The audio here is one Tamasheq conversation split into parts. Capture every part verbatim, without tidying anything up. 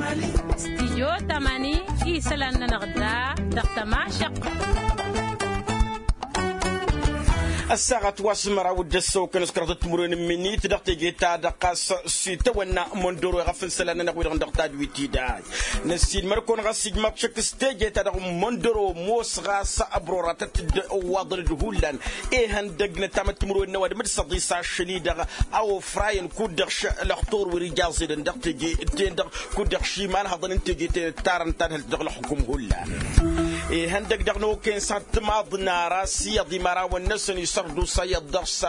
Stijyo tamani isălan-nănăɣ da dăɣ-tămašăɣt. Ăssaɣăt wa s-măraw d-ăssăwkăn s-kăraḍăt timǝrwen n-minit dăɣ-teje-ta-dăɣ ɣas s-itawănna mondoro iɣăf n-isălan-nănăɣ wi-dăɣ dăɣ-tadwit-i da. Năssiilmăr-kăwăn ɣas ijmaḍ šăkk s-teje-ta-dăɣ n-mondoro ămoos ɣas ăbroratăt-dd ăwwaḍăn-dd hullan ihăndăgg n-ăttamăt timǝrwen n-ăwadǝm d-săḍis ašăl-i-dăɣ a ofrayăn kud-dăɣ š-lăxtur wi-dăɣ ijaẓ-edăn dăɣ-teje-ten-dăɣ kud-dăɣ šimanhăḍăn n-teje-ten ǝttarăn tadhǝlt dăɣ-ălxukum hullan. Ihăndăgg dăɣ-nokăyăn s-ad-timaḍ n-ara s-iyyăḍ imărawăn-năsăn isărdusa iyyăḍ dăɣ-s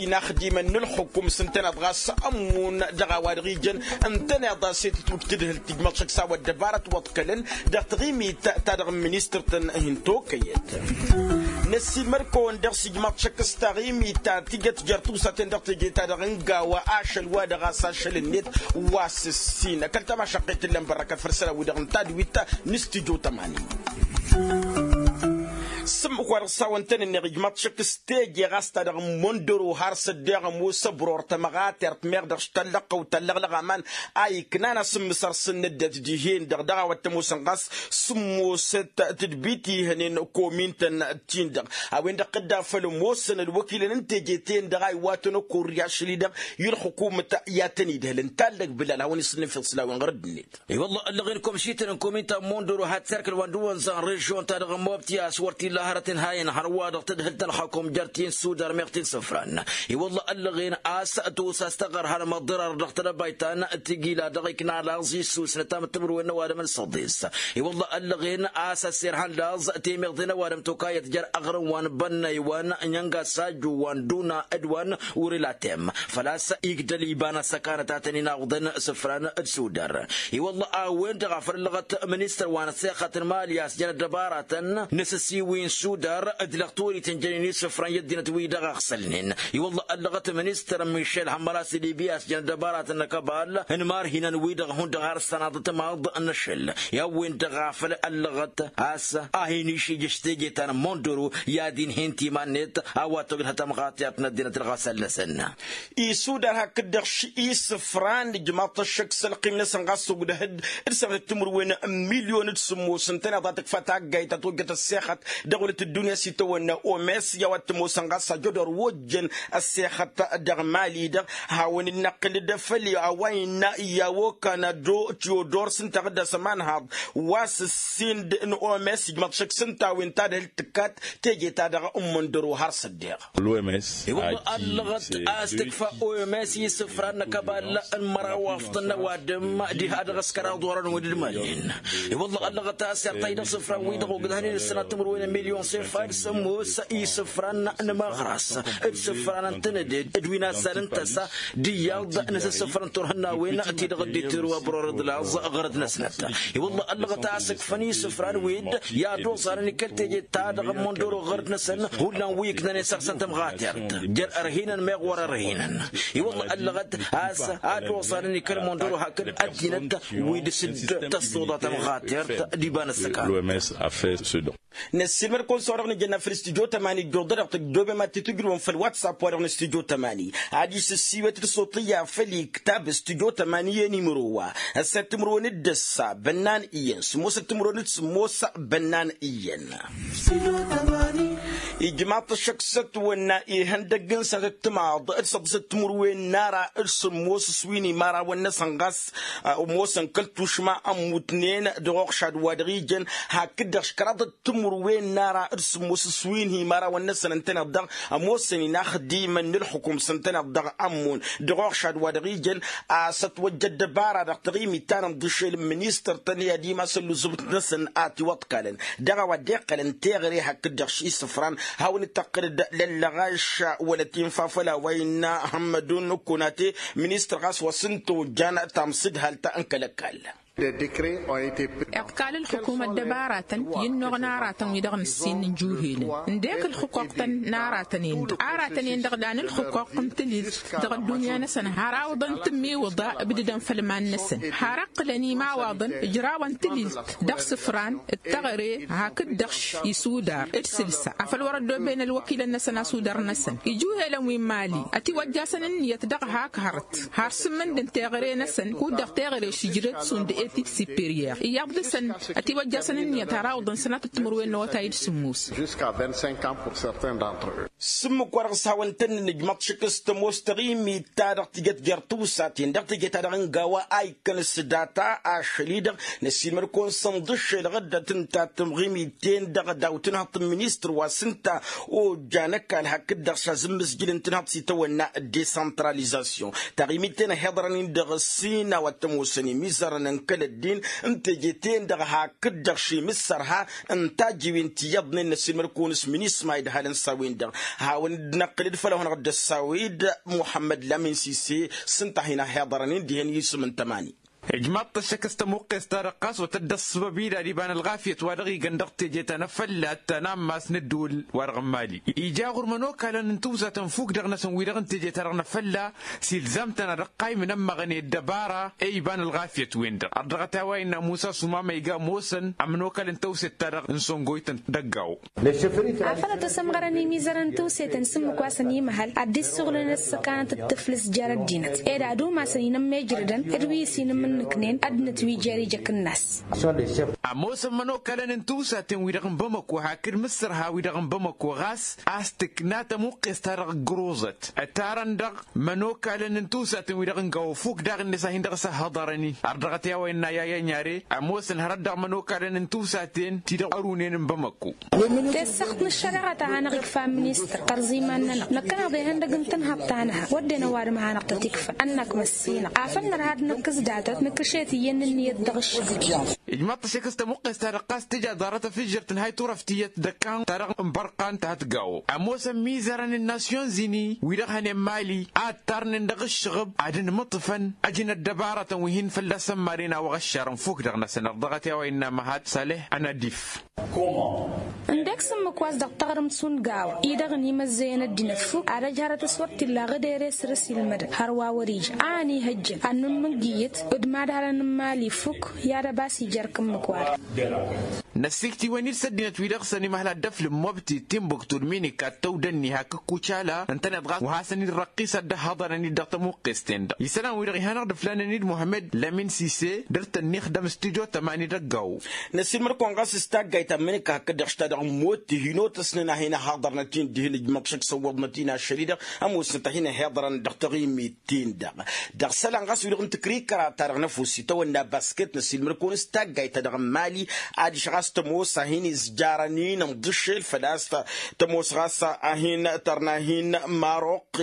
inaxdimăn n-ǝlxukum s-ǝntăneḍ ɣas ămmun dăɣ-a-wa dăɣ-ijăn ǝntăneḍ a-s e-tǝtwǝj tadhǝlt tǝjmăḍ šăkk s-a-wa ăddăbarăt wăḍkălăn dăɣ-taɣimit ta dăɣ-ministăr-tăn hin-tokăyăt. Năssiilmăr-kăwăn dăɣ-s ijmaḍ šăkk s-taɣimit ta tijăt jer-tusa-ten dăɣ-teje-ta-dăɣ n-gawa ašăl wa dăɣ-a-s ašăl-net wa s-ǝssin ăkall-tamašăqqet tǝllăn bărrăkăt făll-isălan-wi-dăɣ n-tadwit n-studyo tămani. S-ǝmmǝk wa dăɣ-s hawăn-tăn-ǝnneɣ ijmaḍ šăkk s-teje ɣas ta dăɣ-mondăro har s-ăddeɣ ămoos ăbror tămɣatert meɣ dăɣ-s tallăɣ-tăwt tallăɣlăɣ aman a iknan asǝmmǝsăr s-ǝnnăddăt dihen-dăɣ dăɣ-a-wa t-ămoosăn ɣas s-ǝmmosăt tǝdbit ihănen komin-tăn-tin-dăɣ a-wen-dăɣ tădda făll-ămoosăn ălwăkilăn n-teje-ten-dăɣ a iwatăn ăkurri ašăl-i-dăɣ i-ălxukumăt i-ad-tăn-idhălăn tallăg bǝlal hawăn-isǝnnǝfeḍ s-la-wen ɣur-ăddinăt. I-wălla ăllăɣen komšităn n-komin ta n-mondoro had-terkăl wa n-dăwănza n-režion-ta-dăɣ n-mobti a-s wăr t-illa hărăt n-hayăn hărwa-dăɣ tadhǝlt n-ălxakum jer-ti n-sudar meɣ ti n-isǝfran. I-wălla ăllăɣen a-s tosa s-taɣărhan măḍḍărar dăɣ-tedăbayt ta n-tijila dăɣ-ikna laẓ issus n-ăttam d-timǝrwen n-ăwadǝm n-săḍis. I-wălla ăllăɣen a-s ăsserhan laẓ temeḍe n-ăwadǝm tokayăt jer-aɣrǝm wa n-bănnăy wa n-inyănga sajju wa n-duna d-wa n-urilatem făl-a-s igdăl iba n-ăssăkanăt a tăn-in-awǝḍăn isǝfran d-sudar. I-wălla a-wen-dăɣ a făl ăllăɣăt ministăr wa n-ăssexăt n-mali a-s jăn ăddăbaratăn n-asǝssiwǝy n-sudar d-lăɣ torităn jănen isǝfran i-ăddinăt-wi-dăɣ a ăɣsălnen. I-wălla ăllăɣăt ministăr mišel hămmăr a-s dd-ibi a-s jăn ăddăbaratăn n-akăbal n-imarhinăn-wi-dăɣ hundăɣ har s-tănaḍăt maḍ n-ašăl i-a-wen-dăɣ a făl ăllăɣăt a-s a hin-išijăš teje ta n-mondoro i-ad-inhen timan-net a-wa togdăh tamɣatert n-ăddinăt ălɣasal-năsăn. Isudar hakd-dăɣ š-isǝfran ijmaḍ-t ăššăk s-ălqim-năsăn ɣas ogdăh-dd d-săɣ timǝrwen n-milyon d-sǝmmos ǝntăneḍ a tǝkfa taggayt ta tojjăt ăssexăt dăɣ-wălăt ăddunya s-itawănna omes i-a-wa t-ămoosăn ɣas ajădor wa ojjăn ăssexăt dăɣ-mali-dăɣ. Hawăn-dd-năqqǝl d-afăl a-wa innă i-a-wa okanado tiodor s-ǝnta ɣǝdda s-ămanhaḍ wa s-ǝssin d-n-omes ijmaḍ šăkk s-ǝnta a-wen tadhǝlt tǝkkat teje-ta-dăɣ n-imǝndăro har s-ăddeɣ. I-wălla ăllăɣăt a-s tǝkfa oms i-isǝfran n-akăbal n-măraw afḍăn n-ăwadǝm diha dăɣ-s kăraḍ orăn wi dd-mănen. I-wălla ăllăɣăt a-s iɣtay dăɣ-isǝfran-wi-dăɣ ogdăhnen ǝssănat timǝrwen n-milyon s-efad s-ămoos isǝfran n-imăɣras d-isǝfran n-tǝnǝded d-wi n-azzal n-tăsa d-iyyăḍ n-asǝssǝfrăn turhǝnnawen-ti-dăɣ dd-itǝru ăbror d-laẓ ɣărăt-năsnăt. I-wălla ăllăɣăt a-s ǝkfăn isǝfran-wi-dd i-ad-oẓarăn i-kăl-teje ta dăɣ-ămmundăro ɣărăt-năsăn hullan wi ǝknănen săɣ-săn tămɣatert jer-ărhinăn meɣ wăr-ărhinăn. I-wălla ăllăɣăt a-s ad-oẓarăn i-kăl-ămmundăro hakd ăddinăt wi dăr-s dd-tăṣṣuḍa tămɣatert d-iba n-ăssăkan. Năssiilmăd-kăwăn s-a-wa-dăɣ nǝjănna făll-studyo tămani ǝjjuḍ-dăɣ tăjjobem ad-t-tǝjrǝwăm făll-whatsapp-wa-dăɣ n-studyo tămani. Adiš ǝssiwet d-suṭṭǝyya făll-iktab studyo tămani i-nimăro wa ăssăt timǝrwen d-ǝssa bănnan iyyăn sǝmmosăt timǝrwen d-sǝmmos bănnan iyyăn. Ijmaḍ-t ăššăk s-ătwănna ihăndăgg n-sănatăt timaḍ d-săḍisăt timǝrwen n-ara d-sǝmmos s-wi n-imărawăn-năsăn ɣas ămoosăn kăl-tušma ămmutnen dăɣ-oɣšad wa dăɣ-ijăn hakd-dăɣ š-kăraḍăt timǝrwen n-ara d-sǝmmos s-wi n-imărawăn-năsăn ǝntăneḍ-dăɣ ămoosăn inaxdimăn n-ǝlxǝkum s-ǝntăneḍ-dăɣ ămmun dăɣ-oɣšad wa dăɣ-ijăn a-s ătwăjja ăddăbara dăɣ-taɣimit ta n-ǝnḍǝšel n-ministăr-tăn i-ad-imasăn luzǝbt-năsăn a tiwăḍkalăn dăɣ-a-wa dd-iqqălăn teɣăre hakd-dăɣ š-isǝfran. Hawăn-dd-tăqqǝl-dd lăllăɣaš wăla tinfa făll-a-wa innă hămmădun kunate ministăr ɣas wa s-ǝnta ojjan tamsǝdhalt n-kăl-ăkall. Iḍkal ǝlxǝkum ăddăbaratăn i-ǝnnuɣ n-aratăn wi dăɣ-nǝssin n-ijuhelăn ǝndek ǝlxǝquq-tăn n-aratăn-en-dăɣ aratăn-en-dăɣ dan ǝlxǝquq n-tililt dăɣ-ăddunya-năsăn har awǝḍăn tǝmmiwǝḍa ǝbdǝdăn făll-iman-năsăn har ǝqqǝlăn imawaḍăn ǝjrawăn tililt dăɣ-isǝfran d-teɣăre hakd-dăɣ š-isudar d-sǝlsa afăl wăr-ăddoben ălwăkilăn-năsăn asudar-năsăn ijuhelăn wi n-mali ătiwăjjasăn ǝnniyăt dăɣ-hak hărăt har sǝmmǝnd n-teɣăre-năsăn kud-dăɣ teɣăre šǝjrăd šund. Etid siperyer iyyăḍ dăr-săn ătiwăjjasăn ǝnniyăt har a wǝḍăn sănatăt timǝrwen n-awătay d-sǝmmos. Sǝmmǝk wa dăɣ-s hawăn-tăn-nǝnǝjmăḍ šik s-tămoos taɣimit ta dăɣ-tijăt jer-tiwsaten dăɣ-teje ta dăɣ-n gawa a ikkăn s-data ašăl-i-dăɣ. Năssiilmăd-kăwăn s-ănḍǝššelăɣ dd-tǝnta tăɣimit-ten-dăɣ daw-tǝnhăḍt n-ministăr wa s-ǝnta ojjan ăkall hakd-dăɣ s-azǝmmǝzjǝl n-tǝnhăḍt s-itawănna d-desăntralizasyon. Taɣimit-ten ăhiḍărăn-in dăɣ-ăssin a-wa t-ămoosăn imizărăn n-kăl-ăddin n-teje-ten-dăɣ hakd-dăɣ šimǝssărha n-tajǝwen ti iyyăḍnen n-ăssiilmăd-kăwăn s-minisma idhalăn s-a-wen-dăɣ. Hawăn-dd-năqqǝlăd făll-a-hănăɣ dd-ăssawed muḥămmăd lamin sise s-ǝnta a hin-ăhiḍărăn-in dihen isǝm n-tămani. Ijmaḍ-t ăššăk s-tămuqqes-ta-dăɣ ɣas wăr tădda ăṣṣăbăb-i d-ad-iba n-ălɣafyăt wa dăɣ-igan dăɣ-teje ta n-afălla ta n-ammas n-ădduul wa dăɣ-n mali ija ɣur-imănokalăn n-tiwzatăn fuk dăɣ-năsăn wi-dăɣ n-teje ta dăɣ-năfălla. S-ilzam-tăn ad-ăqqaymǝn ămmăɣăn i-ăddăbara i-iba n-ălɣafyăt-wen-dăɣ ărdăɣăt i-a-wa innă musa sumama iga ămoosăn ămănokalăn tawset-ta-dăɣ n-săngoytăn d-ăggaw. Afăl ătwăsămɣărăn imizărăn n-tiwsetăn s-ǝmmǝk wa săn imăhăl ad-dd-issuɣǝlăn ăssăkanăt d-tǝflǝst jer-ăddinăt ed ad-umasăn inămmejrădăn d-wi s-inǝmmǝnnǝknen ăddinăt wi jer-ijăk ǝnnas. Ămoosăn imănokalăn n-tiwsaten-wi-dăɣ n-bamăko hakd mǝssărha-wi-dăɣ n-bamăko ɣas a-s tǝkna tămuqqes-ta-dăɣ ǝggǝruẓăt ătarăn-dăɣ imănokalăn n-tiwsaten-wi-dăɣ n-gawa ăfuk daɣ-net a hin-dăɣ-s ăhhăḍărăn-i. Ărdăɣăt i-a-wa innă yaya n-yare ămoosăn hărăt dăɣ-imănokalăn n-tiwsaten ti-dăɣ ărunen n-bamăko. Tessăɣt n-ăššăreɣăt a hanăɣ-ikfa ministăr tărẓiman-nănăɣ năkkăneḍ ihăndăg n-tǝnhăḍt-anăɣ wădden ăwadǝm a hanăɣ-tăt-ikfăn ănnăk măssinăɣ afăl nărha ad-năkkǝs datăt nǝkkǝšet iyyăn n-ǝnniyăt dăɣ-ǝššăɣǝl. Ijmaḍ-t ăššăk s-tămuqqes-ta-dăɣ ɣas tǝja ḍarăt afǝjjăr tǝnhay turăft tiyyăt d-ăkkan ta dăɣ-n bărqan ta hătgawo ămoosăn mizărăn n-nasyonzini wi-dăɣ hănen mali a ǝttarnen dăɣ-ǝššăɣǝb ad-ǝnmǝṭṭǝfăn ăj n-ăddăbarătăn wi hin-fălla-săn maren a-wa ɣăššarăn fuk dăɣ-năsăn ărdăɣăt i-a-wa innă măhat saleh ănadif. Ǝndek s-ǝmmǝk wa s-dăɣ-taɣrǝmt šund gawa-i-dăɣ ănimăzzăyăn ăddinăt fuk ad-ăj hărăt s-wăr t-illa ɣǝdere săr-s ilmădăn hărwa wăr-ija a ănihăjjăn ad-nǝmmǝnjǝyăt d-imadhalăn n-imali fuk i-ad-ăbas ija ărk ǝmmǝk-wa-dăɣ. Năssikt'-iwăn-dd s-ăddinăt-wi-dăɣ s-ănimăhla dd-ăflǝm mobti timbuktu d-minika d-tăwdănni hakd kucala ǝntăneḍ ɣas wa hasăn-dd-răqqis ad-dd-ăhhăḍărăn-dd dăɣ-tămuqqest-ten-dăɣ isălan-wi-dăɣ ihănăɣ-dd ǝflanăn-dd muhămmăd lămin sise dăr-tăn-ixdăm s-tijo tămani d-ăggaw. Năssiilmăd-kăwăn ɣas s-taggayt ta n-minika hakd-dăɣ š-ta-dăɣ n-motti hin-otăsnen a hin-ăhhăḍărnăt-in dihen ǝjmăḍ šăkk săwwăḍnăt-in ašăl-i-dăɣ ămoosnăt a hin-ăhhiḍărăn dăɣ-taɣimit-tin-dăɣ. Dăɣ-isălan ɣas wi-dăɣ n-tǝkrikăra-ta-dăɣ n-efus itawănna basket năssiilmăd-kăwăn s-taggayt-ta-dăɣ n-mali adiš ɣas tămoos a hin-izjarăn-in ǝnḍǝššel făl-a-s tămoos ɣas a hin-tărna hin-maroq.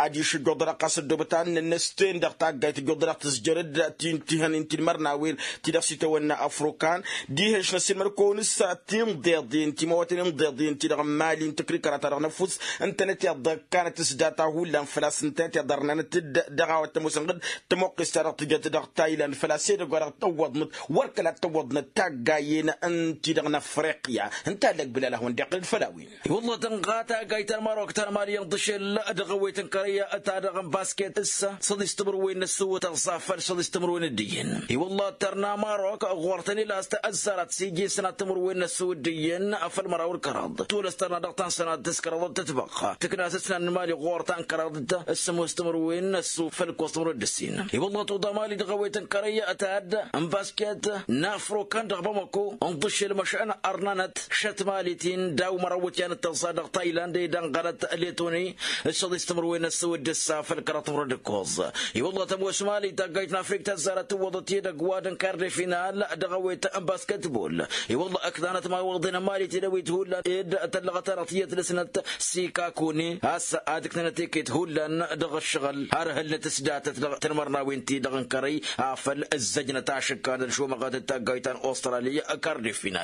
Adiš ǝjjuḍălăɣ ɣas ăddoobăt ad-nănnăs-ten dăɣ-taggayt ǝjjuḍălăɣ tǝzjărăd ti n-tihăn inti n-imărnawen ti-dăɣ s-itawănna afrukan. Dihen-š năssiilmăd-kăwăn s-tinḍeḍen timawăten inḍeḍen ti-dăɣ n-mali n-tǝkrikăra-ta-dăɣ n-efus ǝntănăt i-ad-dd-ăkkanăt s-data hullan făl-a-s ǝntănăt i-ad-ărnanăt-dd dăɣ-a-wa t-ămoosăn ɣǝd tămoqqes-ta-dăɣ tǝjăt dăɣ-tayland făl-a-s edăgg wa dăɣ-tăwwăḍnăt wăr kăla t-tăwwăḍnăt taggayen n-ti-dăɣ n-afriqya. Ǝnta a lăgbǝl a lăhwăn deɣ-dd făll-a-wen. I-wălla tănɣa taggayt ta n-marok ta n-mali ǝnḍǝšel dăɣ-ewet n-kărăyya ta dăɣ-n basket s-săḍis timǝrwen n-ăssǝwǝt ăẓẓafăl săḍis timǝrwen d-iyyăn. I-wălla tărna marok ɣur-tăn-ila a-s tăzzarăt s-iji sănat timǝrwen n-ăssǝwǝt d-iyyăn. Făll-măraw d-kăraḍ tolăs tărna dăɣ-ta n-sănat s-kăraḍăt tǝtbăɣ tǝkna s-ǝsnan n-mali ɣur-ta n-kăraḍăt s-sămoos timǝrwen n-ăssǝw făll-kăwăs timǝrwen d-ǝssin. I-wălla tuḍa mali dăɣ-ewet n-kărăyya ta dd-n basket n-afrokan dăɣ-bamako ǝnḍǝšel măšan ărnanăt šăt mali-tin daw-măraw iwǝtyan d-tăẓẓa dăɣ-tayland ed ănɣălăt letoni s-săḍis timǝrwen n-ăssǝw d-ǝssa făll-kăraḍ timǝrwen d-ǝkkoẓ. I-wălla tămoos mali taggayt n-afrik tăzzarăt tǝwwăḍăt edăgg wa dăɣ-n kardefina dăɣ-ewet n-basketbol. I-wălla ǝknanăt imawaḍen n-mali tidăwit hullan ed tăllăɣăt-anăɣ tiyyăt dăɣ-snăt sikakuni a-s ad-ǝknanăt iket hullan dăɣ-ǝššăɣǝl har hǝlnăt s-datăt dăɣ-tǝnmărnawen-ti-dăɣ n-kărăy afăl ǝzzăjnăt ašǝkkan d-ašomăɣăt d-taggayt ta n-ostrali. Kardefina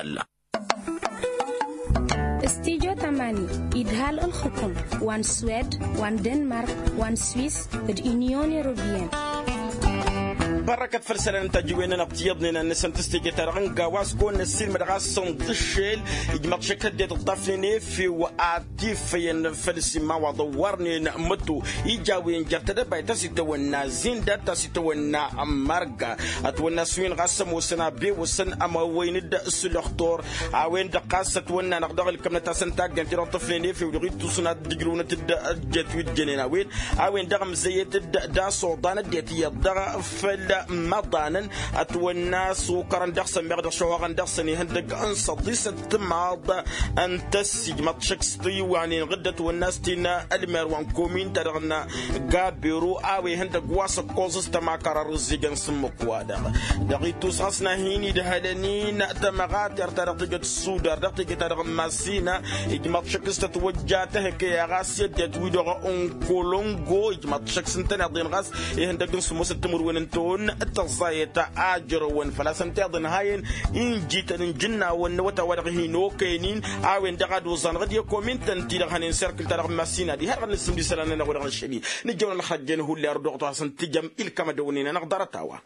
s-tijo tămani idhal ǝlxǝkǝm wa n-swed wa n-denmark wa n-swis d-inyon europiyăn. Bărrăkăt făll-isălan n-tajǝwen-nănăɣ ti iyyăḍnen ad-nǝsǝntǝs teje-ta-dăɣ n-gawa a-s kăwăn-năssiilmăd ɣas s-ǝnḍǝššel ijmăḍ šăkk ăddinăt ǝḍḍafnen efew ad-tifăyăn făll-isimawaḍăn wărnen măto ija a-wen jer-tedăbayt ta s-itawănna zindad ta s-itawănna mărga. Ătwănna s-win ɣas ămoosăn abewăsăn ămăwăyăn-dd s-lăxtor a-wen-dăɣ ɣas ătwănna-năɣ dăɣ-ǝlkămnăt-asăn taggant-i-dăɣ tǝfnen efew dăɣ-ittusǝn ad-ǝjrǝwnăt-dd ăjjăt wi dd-jănen a-wen. A-wen-dăɣ ǝmzăyăt-dd d-asoḍan ăddinăt iyyăḍ dăɣ-făll Măḍanăn ătwănna s-okărăn dăɣ-săn meɣ dăɣ-šăhoɣăn dăɣ-săn ihăndăg n-săḍisăt timaḍ n-tăssi ijmăḍ šăkk s-tiwanen ɣǝddăt wănna s-tin ălmer wa n-komin-ta-dăɣ n-gabero a-wa ihăndăg wa s-ăkkoẓ s-tămakăra rǝzzijăn s-ǝmmǝk-wa-dăɣ. Dăɣ-ittus ɣas n-ad-hin-idhălăn-in tămăɣatert-ta-dăɣ tijăt sudar dăɣ-teje-ta-dăɣ n-massina ijmăḍ šăkk s-tătwăjja tehăkăy a ɣas i-ăddinăt wi-dăɣ n-kolongo ijmăḍ šăkk s-ǝntăneḍ-in ɣas ihăndăg n-sǝmmosăt timǝrwen n-tăwăn tăẓẓayăt a ǝjrăwăn făl-a-s ǝnta iḍǝnhayăn injităn n-ijǝnnawăn n-awătay wa dăɣ-hin-okăyăn-in a-wen-dăɣ ad-oẓanăɣ d-i-komintăn-ti-dăɣ hănen serkǝl-ta-dăɣ n-massina diha-dăɣ n-asǝmd isălan-nănăɣ wa dăɣ-năššăl-i nǝjjăwăn ălxăjjăn hulli arduɣăt wa hasăn-tǝjăm ilkam ad-ăwnen-anăɣ ḍarăt-a-wa.